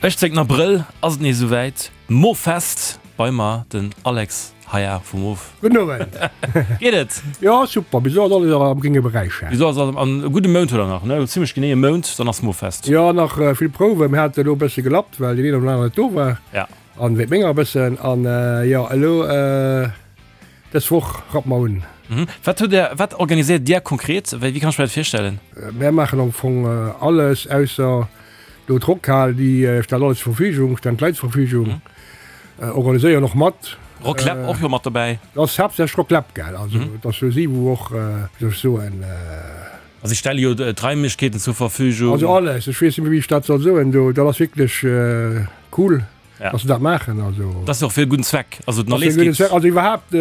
18 Abrëll ass et nees esouwäit, Moffest! Bei mer den Alex Haya vu Mof. Gudden Owend! Geet et? Jo, super, bis elo ass alles am grénge Beräich. Bis elo ass alles, an e gudde Mount huet der nach, ne? Zimlech genee e Mount, dann ass Moffest. Jo, nach vill Prouwen. Mir hate elo e bësse gelappt, well deen een oder aneren net do war. Ja. An wéi menger e bëssen. An jo, elo dës Woch rappe mer un. Wat hutt Där, wat organiséiert Dir konkret? Wéi kann ech mir dat virstellen? Mär maachen am Fong alles, ausser Do d'Rockhal, déi stellt alles zur Verfügung, stellen d'Leit zur Verfügung, organiséieren och mat. Rocklab och jo mat dobäi. Dat ass haaptsächlech Rocklab, gell? Also dat ass jo si wou och, wéi soll ech soen. Also si stelle jo d'Raimlechkeeten zur Verfügung. Also alles, ech weess net méi wéi ech dat soll soen do, dat ass wierklech cool. Ja. Dass se dat maachen, also. Dat ass jo och fir e gudden Zweck. Also den Ass fir Erléis e gudden geet. Zweck. Also iwwerhaapt,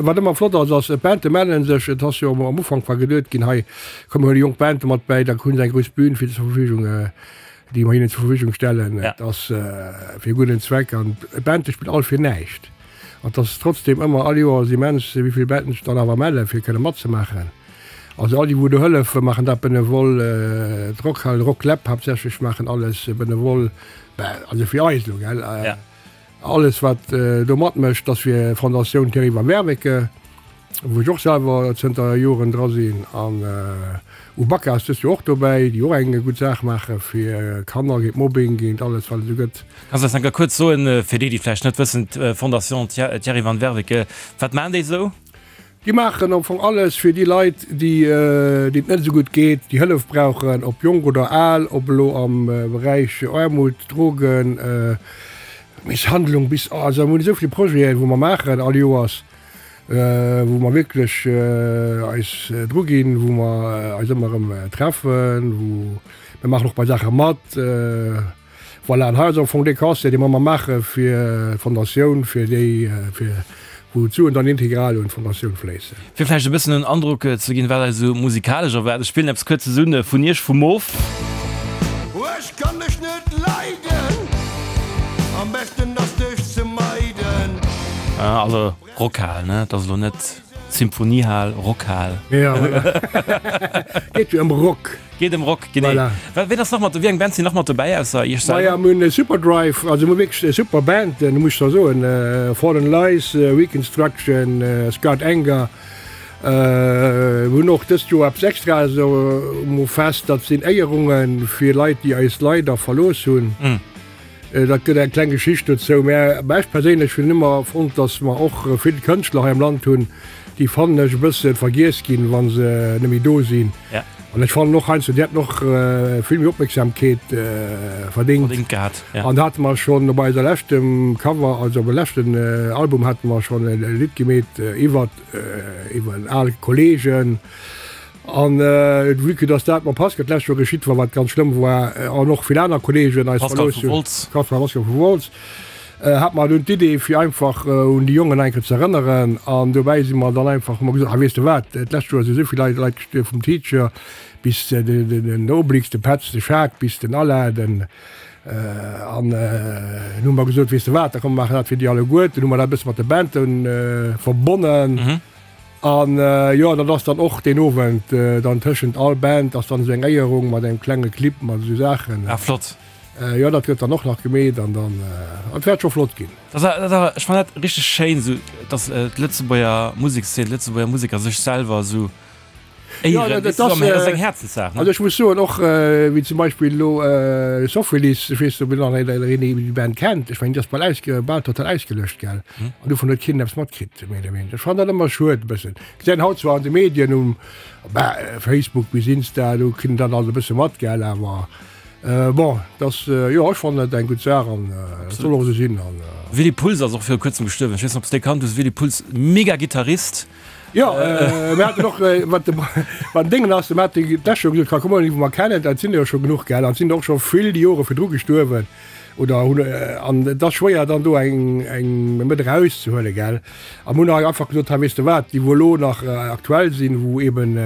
wat ëmmer flott ass, ass, d'Bande mellen sech. Et ass jo am Ufank war geduet ginn, hei komm mir huele jonk Bande mat bäi, da hunn se eng grouss Bühn fir zur Verfügung, déi mer hinnen zur Verfügung stellen. Ja. Et ass fir e gudden Zweck an d'Bande spillen all fir näischt. An et ass trotzdem ëmmer all Joers immens, wéi vill Banden sech dann awer mellen, fir kënne matzemaachen. Also all déi wou do hëllefen, maachen dat benevol. D'Rockhal, Rocklab haaptsächlech maachen alles benevol. Ben, also fir eis elo, gell? Ja. Alles wat do matmécht, ass fir Fondatioun Thierry van Werveke, wou ech och selwer zënter Joren dra sinn. An Ubaka ass dëst Joer och dobäi, déi och eng gutt Saach maache fir Kanner, géint Mobbing, géint alles wat et esou gëtt. Kanns du eis eng Kéier kuerz soen, fir déi, déi vläicht net wëssen, d'Fondation Thierry van Werveke, wat maachen déi esou? Déi maachen am Fong alles fir déi Leit, déi deenen et net esou gutt geet, déi Hëllef brauchen, ob jonk oder al, ob elo am Beräich Aarmut, Drogen, Misshandlung bis, also mir hunn esou vill Projeten, wou mer maachen all Joers, wou mer wierklech eis dru ginn, wou mer eis ëmmer erëm treffen, wou mir maachen och bei Saache mat. Voilà, an hei ass am Fong dee Concert, dee mer ëmmer maache fir d'Fondatioun, fir déi, fir wou d'Suen dann integral un d'Fondatioun fléissen. Fir vläicht e bëssen en Androck ze ginn, wat eis esou musikalesch erwaart, ech spillen eppes Kuerzes un vun Iech, vu Moof. Ech kann dech net leiden, am beschten ass dech ze meiden. Also Rockhal, ne? Et ass elo net Symphoniehal, Rockhal. Ja, voilà. Geet jo ëm Rock. Geet ëm Rock, genee. Voilà. Wa ween ass nach mat, wéi eng Band sinn nach mat dobäi ausser Iech Maja, selwer? mir hunn Superdrive, also mir hu wierklech super Banden, muss ech da soen, Fallen Lies, Reconstruction, Scarred Anger. Mir hunn och dëst Joer eppes Extraes um Fest, dat sinn Éierunge fir Leit, déi eis leider verlooss hunn. Dat gëtt eng kleng Geschicht dozou. Mä ech perséinlech hunn ëmmer fonnt, datt mer och vill Kënschtler hei am Land hunn, déi, fannen ech, e bësse vergiess ginn, wa se net méi do sinn. An ech fannen och heiansdo, déi hätten och vill méi Opmierksamkeet verdéngt. Verdéngt gehat, ja. An da hate mer schonn op eiser leschtem Cover, also op e leschten Album hate mer schonn e Lidd gemeet iwwert iwwer en al Kollegen. An vue que dass dat mam Pascal d'lescht Joer geschitt war, wat ganz schlëmm war, an och vill aner Kollegen eis Pascal verlooss vu hunn, Wolz. Pascal Pascal vu Wolz, hat mer dunn d'Idee fir einfach un déi Jongen eng Kéier ze erënneren. An dobäi si mer dann einfach, hu mer gesot, ah weess de wat, d'lescht Joer si sou vill Leit Leit gestuerwen, vum Teacher bis den Obelix, de Petz, de Schaak, bis den Alain, den an dunn hu mer gesot, weess de wat, da komm mer maachen dat fir déi alleguer. Dunn hu mer dat e bësse mat de Banden verbonnen. An jo, dat ass dann och deen Owend dann tëschent all Band ass dann esou eng Éierung mat engem klenge Clip mat esou Saachen. Ah flott. Jo, dat gëtt dann och nach gemeet an dann, et wäert scho flott ginn. Dat ass awer, ech fannen dat richteg schéin esou, dass d'Lëtzebuerger Musekszeen, d'Lëtzebuerger Museker sech selwer esou Éieren, dat ass eng Häerzenssaach. Also ech muss soen, och wéi zum Beispill elo Sophilis, ech weess net, ob nach een déi Band kennt, ech mengen déi ass bal ausge, bal total ausgelöscht, gell, an dovun huet keen eppes matkritt, méi oder wéineger. Ech fannen dat ëmmer schued e bëssen. Gesäit haut zwar an de Medien um, bah, Facebook bis Insta, do kritt een dat alt e bësse mat, gell, awer bon, dat ass, jo, ech fannen dat eng gutt Saach an et soll och esou sinn an. Willy Puls ass och viru kuerzem gestuerwen, ech weess net, ob s de dee kannt hues, Willy Puls, mega Gittarist. Jo, mir haten och, wat de, wat den Déngen ass, mir hate d'lescht Joer gesot, komm, komm, déi wou mer kennen, dat sinn der jo scho genuch, gell, an et sinn der och scho vill déi Jore virdru gestuerwen oder hunn, an et ass schwéier dann do eng, eng mat erauszehuelen, gell. A mir hunn hei einfach gesot, hei, weess de wat, déi wou elo nach aktuell sinn, wou eeben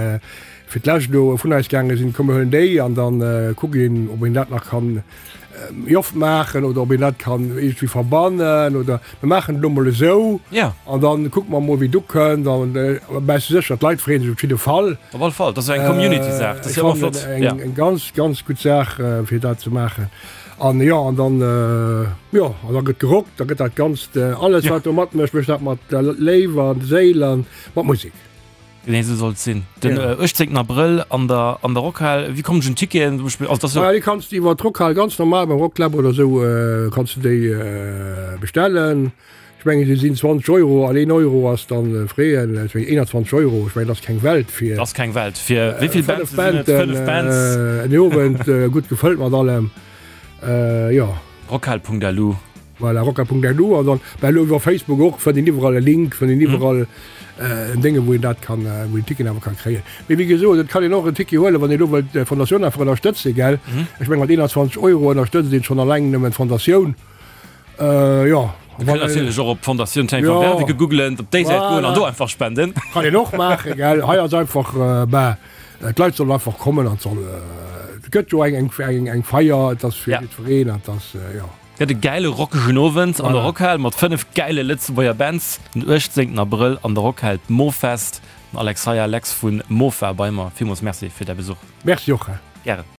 fir d'lescht elo vun eis gaange sinn, komm mir huelen déi an dann kuckt een, ob een dat nach kann. Méi oft maachen oder ob een dat kann iergendwéi verbannen oder mir maachen et elo mol esou an dann kucke mer mol wéi et ukënnt an mä ech si sécher d'Leit freeën sech op jidde Fall. Op alle Fall, dat ass jo eng Community-Saach, dat ass jo ëmmer flott. Eng eng ganz ganz gutt Saach fir dat ze maachen an jo an dann jo an da gëtt gerockt, da gëtt dat Ganzt alles wat do matmécht, mécht dat mat Léiw an Séil an mat Musek. Genee esou soll et sinn. Den 18 Abrëll an der an der Rockhal. Wéi kommen ech un d'Ticketen zum Beispill? Also, dat ass jo. Déi kanns de iwwer d'Rockhal ganz normal beim Rockclub oder esou kanns de déi bestellen. Ech mengen se sinn 20 Euro an een Euro ass dann freeën. Ech mengen 21 Euro, ech mengen dat ass keng Welt fir. Dat ass keng Welt fir wéi vill Bands sinn et? 5 Bands. En Owend gutt gefëllt mat allem, jo. Rockhal.lu. Voilà, rocka.lu an dann bah elo iwwer Facebook och fënnt een iwwerall e Link, fënnt een iwwerall en Dénge wou een dat kann, wou een Ticken awer kann kréien. Mee wéi gesot, et kann een och en Ticket huelen, wann een elo wëllt d'Fondatioun einfach ënnerstëtzen, gell? Ech meng mat 21 Euro ënnerstëtzt een schonn alleng nëmmen d'Fondatioun. Jo. Dir kënnt natierlech och op d'Fondatioun Tijn van Werveke googlen, op déi Säit goen an do einfach spenden. Kann een och maachen, gell? Hei ass einfach, bah, d'Leit sollen einfach kommen an et soll, et gëtt jo eng, eng, eng Feier, et ass fir jiddwereen an et ass, jo. Gëtt e gäile rockegen Owend an der Rockhal mat 5 gäile Lëtzebuerger Bands. Den 18 Abrëll an der Rockhal d'Mofest. Den Alexeia Lex vu Mofa bei mer. Villmools Merci fir däi Besuch. Merci och. Gären.